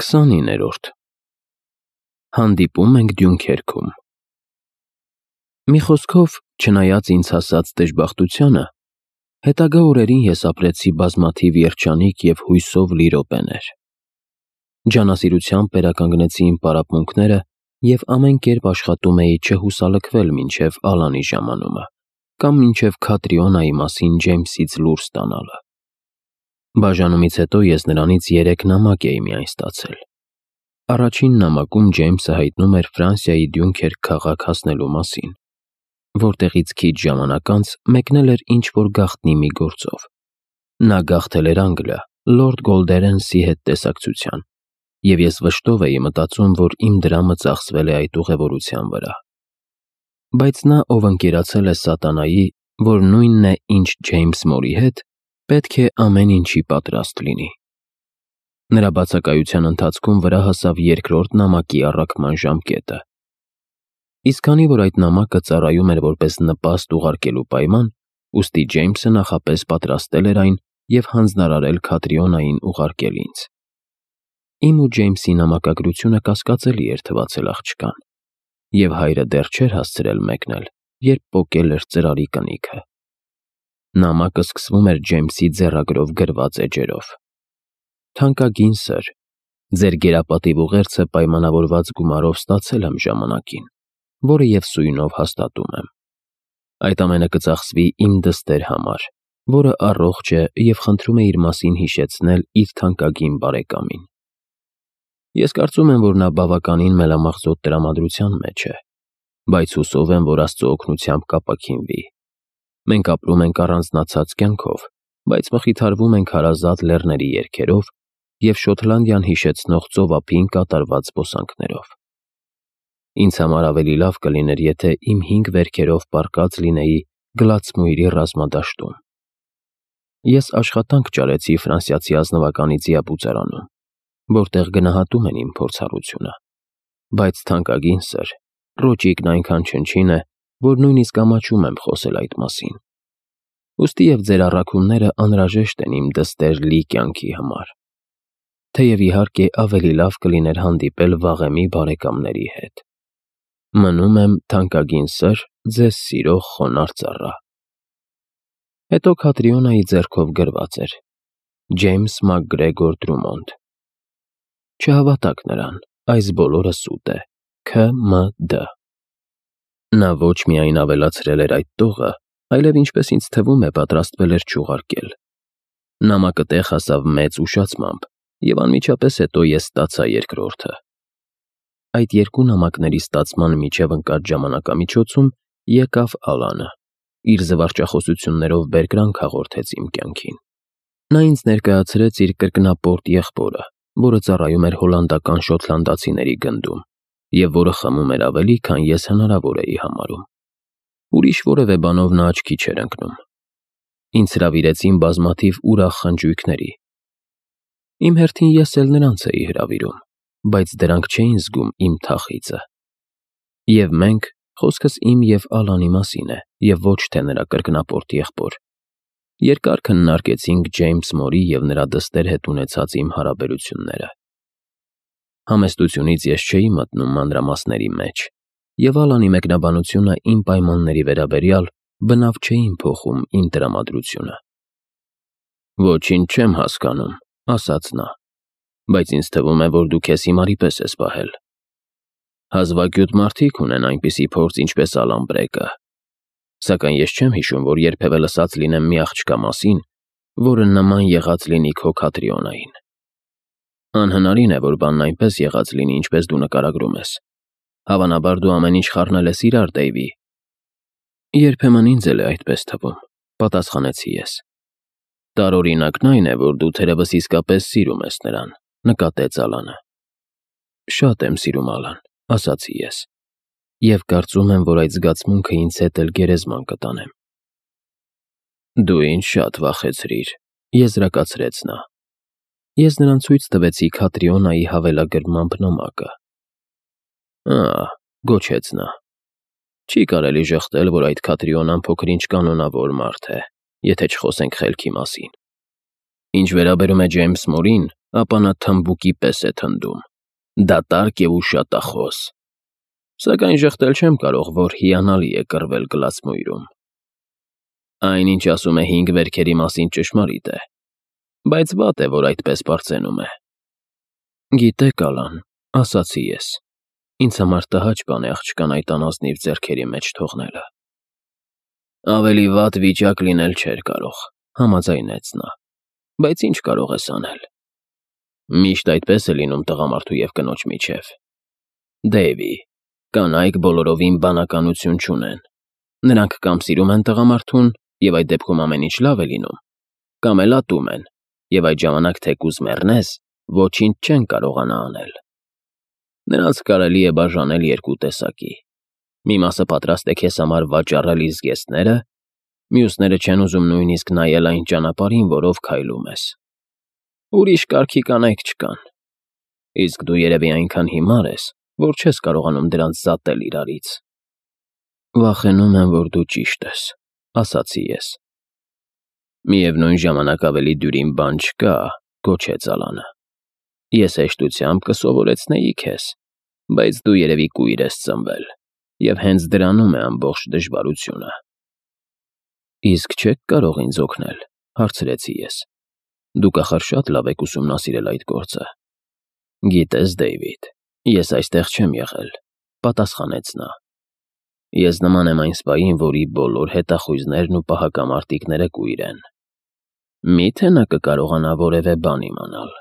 29-րդ Հանդիպում ենք Դյունքերքում։ Մի խոսքով, չնայած ինձ հասած դժբախտությանը, հետագա օրերին ես ապրեցի բազմաթիվ երջանիկ և հույսով լի րոպեներ։ Ջանասիրությամբ վերականգնեցի իմ պարապմունքները և ամեն կերպ աշխատում էի չհուսալքվել մինչև Ալանի ժամանումը կամ մինչև Քատրիոնայի մասին Ջեյմսից լուր ստանալը։ Բաժանումից հետո ես նրանից 3 նամակ էի միայն ստացել։ Առաջին նամակում Ջեյմսը հայտնում էր Ֆրանսիայի Դյունքերկ քաղաք հասնելու մասին, որտեղից քիչ ժամանակ անց մեկնել էր ինչ-որ գաղտնի մի գործով։ Նա գաղթել էր Անգլիա, լորդ Գոլդերենսի հետ տեսակցության, և ես վշտով էի մտածում, որ իմ դրամը ծախսվել է այդ ուղևորության վրա։ Բայց նա, ով ընկերացել է սատանայի, որ նույնն է, ինչ Ջեյմս Մորի հետ, պետք է ամեն ինչի պատրաստ լինի։ Նրա բացակայության ընթացքում վրա հասավ երկրորդ նամակի առաքման ժամկետը։ Իսկ քանի որ այդ նամակը ծառայում էր որպես նպաստ ուղարկելու պայման, ուստի Ջեյմսը նախապես պատրաստել էր այն և հանձնարարել Քատրիոնային ուղարկել ինձ։ Իմ ու Ջեյմսի նամակագրությունը կասկածելի էր թվացել աղջկան, և հայրը դեռ չէր հասցրել մեկնել, երբ պոկել էր ծրարի կնիքը։ Նամակը սկսվում էր Ջեյմսի ձեռագրով գրված էջերով. «Թանկագին սըր, ձեր գերապատիվ ուղերձը պայմանավորված գումարով ստացել եմ ժամանակին, որը և սույնով հաստատում եմ։ Այդ ամենը կծախսվի իմ դստեր համար, որը առողջ է և խնդրում է իր մասին հիշեցնել իր թանկագին բարեկամին։ Ես կարծում եմ, որ նա բավականին մելամաղձոտ տրամադրության մեջ է, բայց հուսով եմ, որ Աստծո օգնությամբ կապաքինվի։ Մենք ապրում ենք առանձնացած կյանքով, բայց մխիթարվում ենք հարազատ լեռների երգերով և Շոտլանդիան հիշեցնող ծովափին կատարված զբոսանքներով։ Ինձ համար ավելի լավ կլիներ, եթե իմ 5 վերքերով պառկած լինեի Գլացմույրի ռազմադաշտում։ Ես աշխատանք ճարեցի ֆրանսիացի ազնվականի ձիաբուծարանում, որտեղ գնահատում են իմ փորձառությունը, բայց թանկագին սըր, ռոճիկն այնքան չնչին է, որ նույնիսկ ամաչում եմ խոսել այդ մասին։ Ուստի և ձեր առաքումները անհրաժեշտ են իմ դստեր լի կյանքի համար, թեև իհարկե ավելի լավ կլիներ հանդիպել վաղեմի բարեկամների հետ։ Մնում եմ, թանկագին սըր, ձեզ սիրող խոնարհ ծառա»։ Հետո Քատրիոնայի ձեռքով գրված էր. «Ջեյմս ՄակԳրեգոր Դրումոնդ»։ Չհավատաք նրան, այս բոլորը սուտ է։ Ք.Մ.Դ. Նա ոչ միայն ավելացրել էր այդ տողը, այլև, ինչպես ինձ թվում է, պատրաստվել էր չուղարկել։ Նամակը տեղ հասավ մեծ ուշացմամբ, և անմիջապես հետո ես ստացա երկրորդը։ Այդ 2 նամակների ստացման միջև ընկած ժամանակամիջոցում եկավ Ալանը, իր զվարճախոսություններով բերկրանք հաղորդեց իմ կյանքին։ Նա ինձ ներկայացրեց իր կրկնապորտ եղբորը, որը ծառայում էր հոլանդական շոտլանդացիների գնդում, և որը խմում էր ավելի, քան ես հնարավոր էի համարում։ Ուրիշ որևէ բանով նա աչքի չէր ընկնում։ Ինձ հրավիրեցին բազմաթիվ ուրախ խնջույքների։ Իմ հերթին ես էլ նրանց էի հրավիրում, բայց դրանք չէին զգում իմ թախիծը։ Եվ մենք, խոսքս իմ և Ալանի մասին է, և ոչ թե նրա կրկնապորտ եղբոր, երկար քննարկեցինք Ջեյմս Մորի և նրա դստեր հետ ունեցած իմ հարաբերությունները։ Համեստությունից ես չէի մտնում մանրամասների մեջ, և Ալանի մեկնաբանությունը իմ պայմանների վերաբերյալ բնավ չէին փոխում իմ տրամադրությունը։ «Ոչինչ չեմ հասկանում», ասաց նա, «բայց ինձ թվում է, որ դու քեզ հիմարի պես ես պահել։ Հազվագյուտ մարդիկ ունեն այնպիսի փորձ, ինչպես Ալան Բրեգը, սակայն ես չեմ հիշում, որ երբևէ լսած լինեմ մի աղջկա մասին, որը նման եղած լինի քո Քատրիոնային։ Անհնարին է, որ բանն այնպես եղած լինի, ինչպես դու նկարագրում ես։ Հավանաբար դու ամեն ինչ խառնել ես իրար, Դեյվի»։ «Երբեմն ինձ էլ է այդպես թվում», պատասխանեցի ես։ «Տարօրինակն այն է, որ դու թերևս իսկապես սիրում ես նրան», նկատեց Ալանը։ «Շատ եմ սիրում Ալան», ասացի ես, և կարծում եմ, որ այդ զգացմունքը ինձ հետ էլ գերեզման կտանեմ։ «Դու ինձ շատ վախեցրիր», եզրակացրեց նա։ Ես նրան ցույց տվեցի Քատրիոնայի հավելագրմամբ նամակը։ «Ա՛», գոչեց նա, «չի կարելի ժխտել, որ այդ Քատրիոնան փոքր-ինչ կանոնավոր մարդ է, եթե չխոսենք խելքի մասին։ Ինչ վերաբերում է Ջեյմս Մուրին, ապա նա թմբուկի պես է թնդում, դատարկ և ուշատախոս։ Սակայն ժխտել չեմ կարող, որ հիանալի է կռվել գլացմույրում։ Այն, ինչ ասում է 5 վերքերի մասին, ճշմարիտ է, բայց վատ է, որ այդպես պարծենում է։ Գիտեք, Ալան, ասացի ես, ինձ համար տհաճ բան է աղջկան այդ անազնիվ ձեռքերի մեջ թողնելը։ Ավելի վատ վիճակ լինել չէր կարող, համաձայնեց նա, բայց ինչ կարող ես անել։ Միշտ այդպես է լինում տղամարդու և կնոջ միջև։ Դեյվի, կանայք բոլորովին բանականություն չունեն։ Նրանք կամ սիրում են տղամարդուն, և այդ դեպքում ամեն ինչ լավ է լինում, կամ էլ ատում են, և այդ ժամանակ թեկուզ մեռնես, ոչինչ չեն կարողանա անել։ Նրանց կարելի է բաժանել 2 տեսակի. մի մասը պատրաստ է քեզ համար վաճառել իր զգեստները, մյուսները չեն ուզում նույնիսկ նայել այն ճանապարհին, որով քայլում ես։ Ուրիշ կարգի կանայք չկան։ Իսկ դու երևի այնքան հիմար ես, որ չես կարողանում դրանց զատել իրարից։ Վախենում եմ, որ դու ճիշտ ես, ասացի ես։ Միևնույն ժամանակ ավելի դյուրին բան չկա, գոչեց Ալանը։ Ես հեշտությամբ կսովորեցնեի քեզ, բայց դու երևի կույր ես ծնվել, և հենց դրանում է ամբողջ դժվարությունը։ Իսկ չեք կարող ինձ օգնել, հարցրեցի ես։ Դուք ախր շատ լավ եք ուսումնասիրել այդ գործը։ Գիտես, Դեյվիդ, ես այստեղ չեմ եղել, պատասխանեց նա։ Ես նման եմ այն սպային, որի բոլոր հետախույզներն ու պահակամարտիկները կույր են։ Մի՞թե նա կկարողանա որևէ բան իմանալ։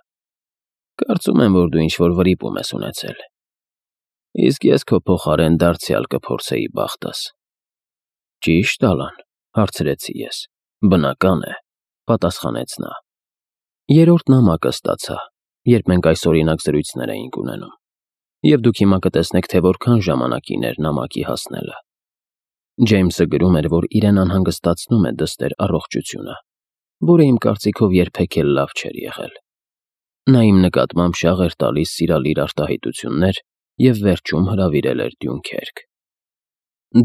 Կարծում եմ, որ դու ինչ-որ վրիպում ես ունեցել։ Իսկ ես քո փոխարեն դարձյալ կփորձեի բախտս։ Ճիշտ, Ալան, հարցրեցի ես։ Բնական է, պատասխանեց նա։ 3-րդ նամակը ստացա, երբ մենք այսօրինակ զրույցներ էինք ունենում, և դուք հիմա կտեսնեք, թե որքան ժամանակին էր նամակի հասնելը։ Ջեյմսը գրում էր, որ իրեն անհանգստացնում է դստեր առողջությունը, որը իմ կարծիքով երբեք էլ լավ չէր եղել։ Նա իմ նկատմամբ շաղ էր տալիս սիրալիր արտահայտություններ և վերջում հրավիրել էր Դյունքերկ։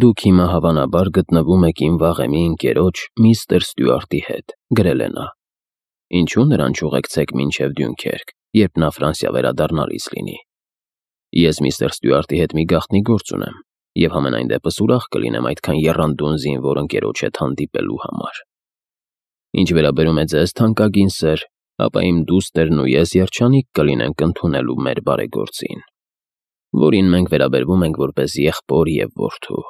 Դուք հիմա հավանաբար գտնվում եք իմ վաղեմի ընկերոջ միստր Ստյուարտի հետ, գրել է նա։ Ինչու նրան չուղեկցեք մինչև Դյունքերկ, երբ նա Ֆրանսիա վերադառնալիս լինի։ Ես միստր Ստյուարտի հետ մի գաղտնի գործ ունեմ, և համենայն դեպս ուրախ կլինեմ այդքան եռանդուն զինվոր ընկերոջ հետ հանդիպելու համար։ Ինչ վերաբերում է ձեզ, թանկագին սեր, ապա իմ դուստերն ու ես երջանիկ կլինենք ընդունելու մեր բարեգործին, որին մենք վերաբերվում ենք որպես եղբոր և որդու։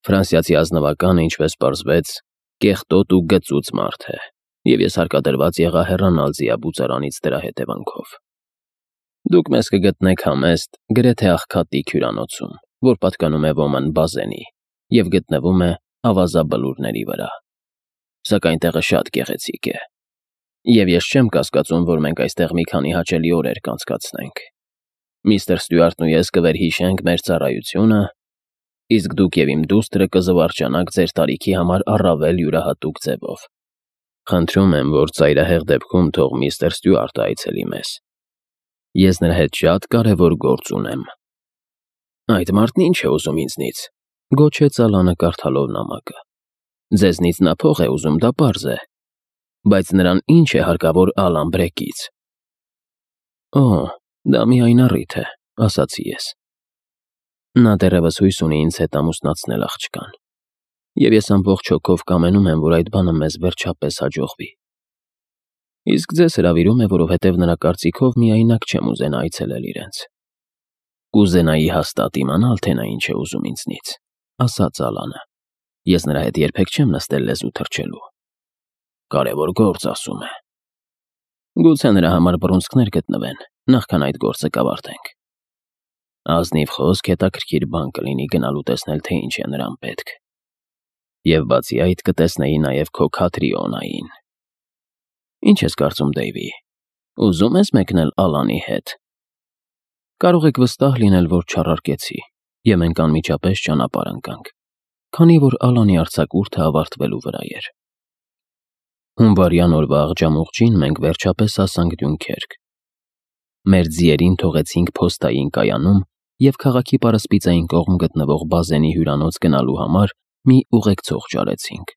Ֆրանսիացի ազնվականը, ինչպես պարզվեց, կեղտոտ ու գծուծ մարդ է, և ես հարկադրված եղա հեռանալ ձիաբուծարանից դրա հետևանքով։ Դուք մեզ կգտնեք համեստ, գրեթե աղքատիկ հյուրանոցում, որ պատկանում է Ոման Բազենի և գտնվում է ավազաբլուրների վրա։ Սակայն տեղը շատ գեղեցիկ է, և ես չեմ կասկածում, որ մենք այստեղ մի քանի հաճելի օրեր կանցկացնենք։ Միստր Ստյուարտն ու ես կվերհիշենք մեր ծառայությունը, իսկ դուք և իմ դուստրը կզվարճանաք ձեր տարիքի համար առավել յուրահատուկ ձևով։ Խնդրում եմ, որ ծայրահեղ դեպքում թող միստր Ստյուարտը այցելի մեզ։ Ես նրա հետ շատ կարևոր գործ ունեմ։ Այդ մարդն ինչ է ուզում ինձնից, գոչեց Ալանը կարդալով նամակը։ Ձեզնից նա փող է ուզում, դա պարզ է, բայց նրան ինչ է հարկավոր Ալան Բրեկից։ Օ, դա միայն առիթ է, ասացի ես։ Նա դեռևս հույս ունի ինձ հետ ամուսնացնել աղջկան, և ես ամբողջ հոգով կամենում եմ, որ այդ բանը մեզ վերջապես հաջողվի։ Իսկ ձեզ հրավիրում է, որովհետև նրա կարծիքով միայնակ չեմ ուզենա այցելել իրենց։ Կուզենայի հաստատ իմանալ, թե նա ինչ է ուզում ինձնից, ասաց Ալանը։ Ես նրա հետ երբեք չեմ նստել լեզու թռչելու։ Կարևոր գործ, ասում է։ Գուցե նրա համար բռունցքներ գտնվեն, նախքան այդ գործը կավարտենք։ Ազնիվ խոսք, հետաքրքիր բան կլինի գնալու տեսնել, թե ինչ է նրան պետք։ Եվ բացի այդ կտեսնեի նաև քո Քաթրիոնային։ Ինչ ես կարծում, Դեյվի, ուզում ես մեկնել Ալանի հետ։ Կարող եք վստահ լինել, որ չառարկեցի, և մենք անմիջապես ճանապարհ ընկանք, քանի որ Ալանի արձակուրդը ավարտվելու վրա էր։ Հունվարյան օրվա աղջամուղջին մենք վերջապես հասանք Դյունքերկ։ Մեր ձիերին թողեցինք փոստային կայանում և քաղաքի պարսպիցային կողմ գտնվող Բազենի հյուրանոց գնալու համար մի ուղեկցող ճարեցինք։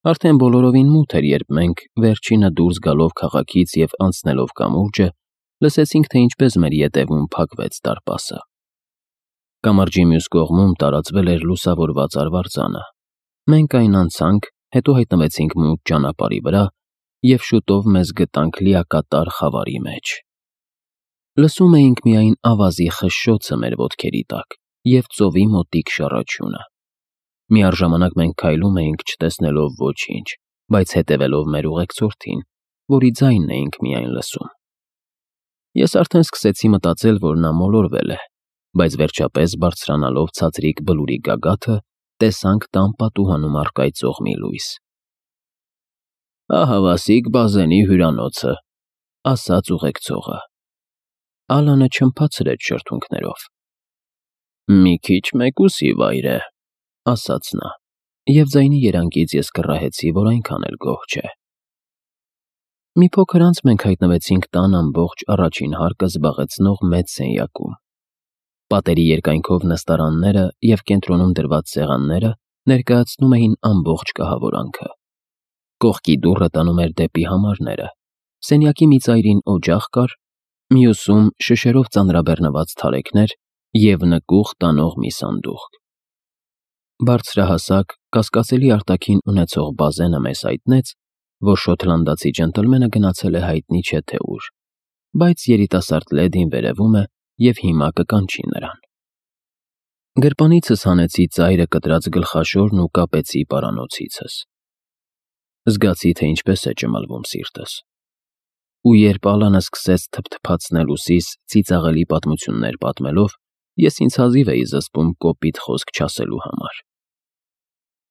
Արդեն բոլորովին մութ էր, երբ մենք, վերջինը դուրս գալով քաղաքից և անցնելով կամուրջը, լսեցինք, թե ինչպես մեր ետևում փակվեց դարպասը։ Կամրջի մյուս կողմում տարածվել էր լուսավորված արվարձանը։ Մենք այն անցանք, հետո հայտնվեցինք մութ ճանապարհի վրա և շուտով մեզ գտանք լիակատար խավարի մեջ։ Լսում էինք միայն ավազի խշշոցը մեր ոտքերի տակ և ծովի մոտիկ շռչյունը։ Միառժամանակ մենք քայլում էինք, չտեսնելով ոչինչ, բայց հետևելով մեր ուղեկցորդին, որի ձայնն էինք միայն լսում։ Ես արդեն սկսեցի մտածել, որ նա մոլորվել է, բայց վերջապես բարձրանալով ցածրիկ բլուրի գագաթը, տեսանք տան պատուհանում առկայծող մի լույս։ «Ահավասիկ Բազենի հյուրանոցը», ասաց ուղեկցողը։ Ալանը չմփացրեց շրթունքներով։ «Մի քիչ մեկուսի վայր է», ասաց նա, և ձայնի երանգից ես կռահեցի, որ այնքան էլ գոհ չէ։ Մի փոքր անց մենք հայտնվեցինք տան ամբողջ առաջին հարկը զբաղեցնող մեծ սենյակում։ Պատերի երկայնքով նստարանները և կենտրոնում դրված սեղանները ներկայացնում էին ամբողջ կահավորանքը։ Կողքի դուռը տանում էր դեպի համարները։ Սենյակի մի ծայրին օջախ կար, մյուսում շշերով ծանրաբեռնված թարեքներ և նկուղ տանող մի սանդուղք։ Բարձրահասակ, կասկածելի արտաքին ունեցող Բազենը մեզ հայտնեց, որ շոտլանդացի ջենտլմենը գնացել է հայտնի չէ թե ուր, բայց երիտասարդ լեդին վերևում է և հիմա կկանչի նրան։ Գրպանիցս հանեցի ծայրը կտրած գլխաշորն ու կապեցի պարանոցիցս։ Զգացի, թե ինչպես է ճմլվում սիրտս։ Ու երբ Ալանը սկսեց թփթփացնել ուսիս ծիծաղելի պատմություններ պատմելով, ես ինձ հազիվ էի զսպում կոպիտ խոսք չասելու համար։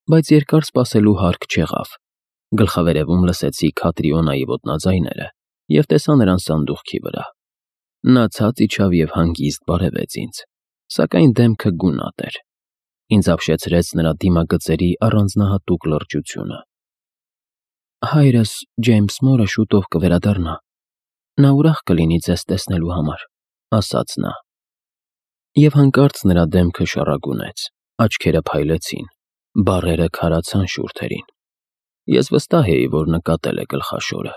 Բայց երկար սպասելու հարկ չեղավ։ Գլխավերևում լսեցի Քատրիոնայի ոտնաձայները և տեսա նրան սանդուղքի վրա։ Նա ցած իջավ և հանգիստ բարևեց ինձ, սակայն դեմքը գունատ էր։ Ինձ ապշեցրեց նրա դիմագծերի առանձնահատուկ լրջությունը։ «Հայրս, Ջեյմս Մորը, շուտով կվերադառնա։ Նա ուրախ կլինի ձեզ տեսնելու համար», ասաց նա։ Եվ հանկարծ նրա դեմքը շառագունեց, աչքերը փայլեցին, բառերը քարացան շուրթերին։ Ես վստահ էի, որ նկատել է գլխաշորը։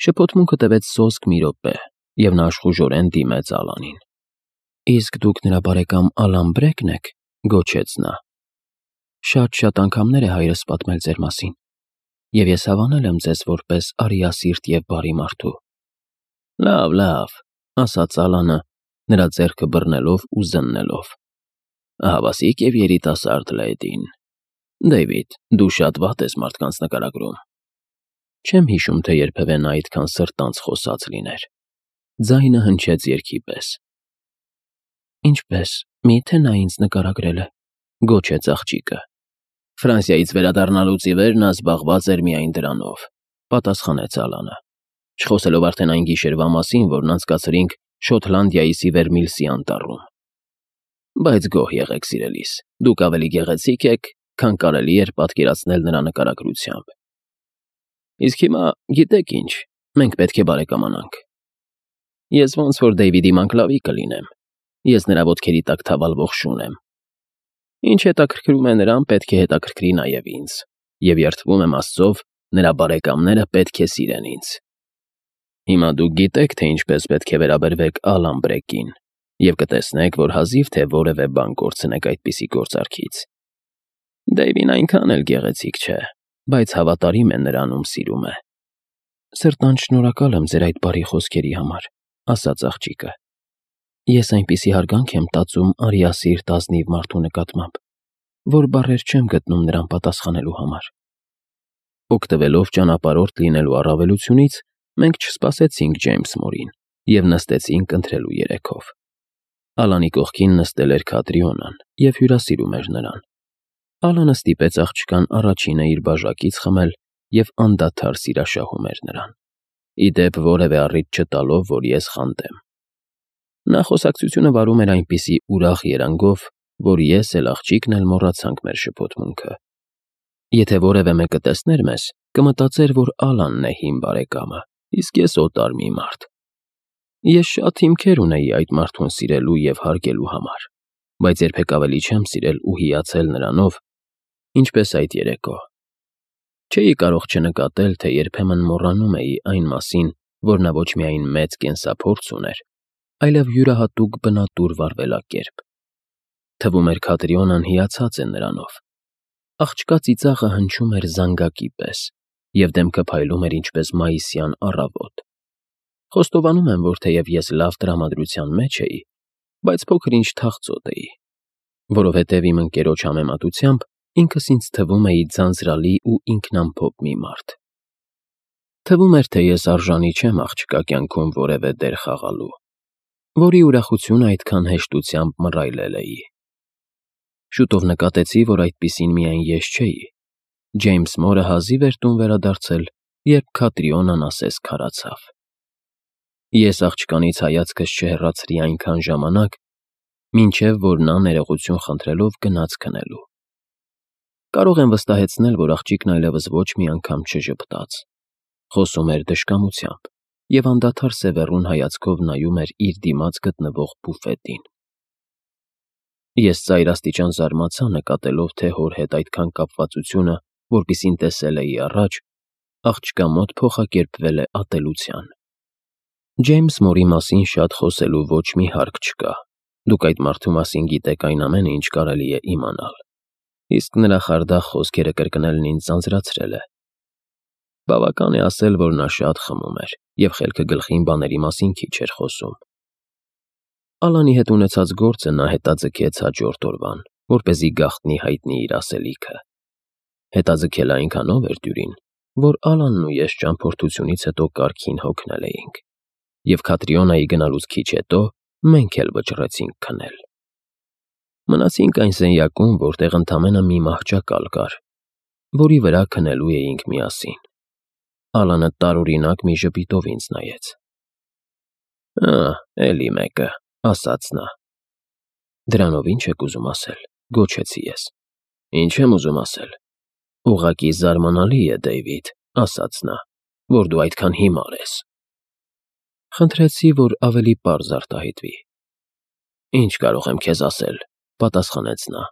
Շփոթմունքը տևեց սոսկ մի րոպե, և նա աշխուժորեն դիմեց Ալանին։ «Իսկ դուք նրա բարեկամ Ալան Բրեքն եք», գոչեց նա։ «Շատ անգամներ է հայրս պատմել ձեր մասին, և ես հավանել եմ ձեզ որպես արիասիրտ և բարի մարդու»։ Լավ, ասաց Ալանը, նրա ձեռքը բռնելով ու զննելով։ «Ահավասիկ և երիտասարդ լեդին։ Դեյվիդ, դու շատ վատ ես մարդկանց նկարագրում»։ Չեմ հիշում, թե երբևէ նա այդքան սրտանց խոսած լիներ։ Ձայնը հնչեց երգի պես։ «Ինչպես, մի՞թե նա ինձ նկարագրել է», գոչեց աղջիկը։ «Ֆրանսիայից վերադառնալուց ի վեր նա զբաղված էր միայն դրանով», պատասխանեց Ալանը, չխոսելով արդեն այն գիշերվա մասին, որն անցկացրինք Շոտլանդիայի Սիվերմիլսի անտառում։ Բայց գոհ եղեք, սիրելիս, դուք ավելի գեղեցիկ եք, քան կարելի էր պատկերացնել նրա նկարագրությամբ։ Իսկ հիմա, գիտեք ինչ, մենք պետք է բարեկամանանք։ Ես ոնց որ Դեյվիդի մանկլավի կլինեմ, ես նրա ոտքերի տակ թավալվող շուն եմ։ Ինչ հետաքրքրում է նրան, պետք է հետաքրքրի նաև ինձ, և երդվում եմ Աստծով, նրա բարեկամները պետք է սիրեն ինձ։ Հիմա դուք գիտեք, թե ինչպես պետք է վերաբերվեք Ալան Բրեկին, և կտեսնեք, որ հազիվ թե որևէ բան կորցնեք այդպիսի գործարքից։ Դեյվին այնքան էլ գեղեցիկ չէ, բայց հավատարիմ է նրան, ում սիրում է։ Սրտանց շնորհակալ եմ ձեր այդ բարի խոսքերի համար, ասաց աղջիկը։ Ես այնպիսի հարգանք եմ տածում արիասիրտ ազնիվ մարդու նկատմամբ, որ բառեր չեմ գտնում նրան պատասխանելու համար։ Օգտվելով ճանապարհորդ լինելու առավելությունից, մենք չսպասեցինք Ջեյմս Մորին և նստեցինք ընթրելու երեքով։ Ալանի կողքին նստել էր Քատրիոնան և հյուրասիրում էր նրան։ Ալանը ստիպեց աղջկան առաջինը իր բաժակից խմել և անդադար սիրաշահում էր նրան, ի դեպ որևէ առիթ չտալով, որ ես խանդեմ։ Նա խոսակցությունը վարում էր այնպիսի ուրախ երանգով, որ ես էլ աղջիկն էլ մոռացանք մեր շփոթմունքը։ Եթե որևէ մեկը տեսներ մեզ, կմտածեր, որ Ալանն է հին բարեկամը, իսկ ես օտար մի մարդ։ Ես շատ հիմքեր ունեի այդ մարդուն սիրելու և հարգելու համար, բայց երբեք ավելի չեմ սիրել ու հիացել նրանով, ինչպես այդ երեկո։ Չէի կարող չնկատել, թե երբեմն մոռանում էի այն մասին, որ նա ոչ միայն մեծ կենսափորձ ուներ, այլև յուրահատուկ բնատուր վարվելակերպ։ Թվում էր Քատրիոնան հիացած է նրանով։ Աղջկա ծիծաղը հնչում էր զանգակի պես, և դեմքը փայլում էր ինչպես մայիսյան առավոտ։ Խոստովանում եմ, որ թեև ես լավ տրամադրության մեջ էի, բայց փոքր-ինչ թախծոտ էի, որովհետև իմ ընկերոջ համեմատությամբ ինքս ինձ թվում էի ձանձրալի ու ինքնամփոփ մի մարդ։ Թվում էր, թե ես արժանի չեմ աղջկա կյանքում որևէ դեր խաղալու, որի ուրախությունը այդքան հեշտությամբ մռայլել էի։ Շուտով նկատեցի, որ այդպիսին միայն ես չէի։ Ջեյմս Մորը հազիվ էր տուն վերադարձել, երբ Քատրիոնան ասես քարացավ։ Ես աղջկանից հայացքս չհեռացրի այնքան ժամանակ, մինչև որ նա ներողություն խնդրելով գնաց քնելու։ Կարող եմ վստահեցնել, որ աղջիկն այլևս ոչ մի անգամ չժպտաց։ Խոսում էր դժկամությամբ և անդադար սևեռուն հայացքով նայում էր իր դիմաց գտնվող բուֆետին։ Ես ծայրաստիճան զարմացա նկատելով, թե հոր հետ այդքան կապվածությունը, որպիսին տեսել էի առաջ, աղջկա մոտ փոխակերպվել է ատելության։ Ջեյմս Մորի մասին շատ խոսելու ոչ մի հարկ չկա։ Դուք այդ մարդու մասին գիտեք այն ամենը, ինչ կարելի է իմանալ։ Իսկ նրա խարդախ խոսքերը կրկնելն ինձ ձանձրացրել է։ Բավական է ասել, որ նա շատ խմում էր և խելքը գլխին բաների մասին քիչ էր խոսում։ Ալանի հետ ունեցած գործը նա հետաձգեց հաջորդ օրվան, որպեսզի գաղտնի հայտնի իր ասելիքը։ Հետաձգել այնքանով էր դյուրին, որ Ալանն ու ես ճամփորդությունից հետո կարգին հոգնել էինք, և Քատրիոնայի գնալուց քիչ հետո մենք էլ վճռեցինք քնել։ Մնացինք այն սենյակում, որտեղ ընդամենը մի մահճակալ կար, որի վրա քնելու էինք միասին։ Ալանը տարօրինակ մի ժպիտով ինձ նայեց։ Էլի մեկը, ասաց նա։ Դրանով ի՞նչ եք ուզում ասել, գոչեցի ես։ Ինչ եմ ուզում ասել։ Ուղղակի զարմանալի է, Դեյվիդ, ասաց նա, որ դու այդքան հիմար ես։ Խնդրեցի, որ ավելի պարզ արտահայտվի։ Ինչ կարող եմ քեզ ասել, պատասխանեց նա։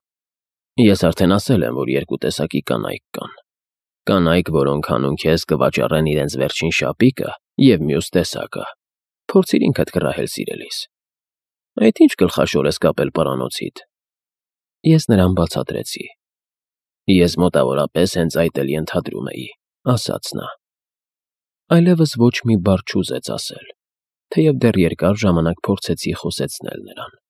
Ես արդեն ասել եմ, որ երկու տեսակի կանայք կան։ Կանայք, որոնք հանուն քեզ կվաճառեն իրենց վերջին շապիկը, և մյուս տեսակը։ Փորձիր ինքդ կռահել սիրելիս։ Այդ ի՞նչ գլխաշոր ես կապել պարանոցիդ։ Ես նրան բացատրեցի։ Ես մոտավորապես հենց այդ էլ ենթադրում էի, ասաց նա։ Այլևս ոչ մի բառ չուզեց ասել, թեև դեռ երկար ժամանակ փորձեցի խոսեցնել նրան։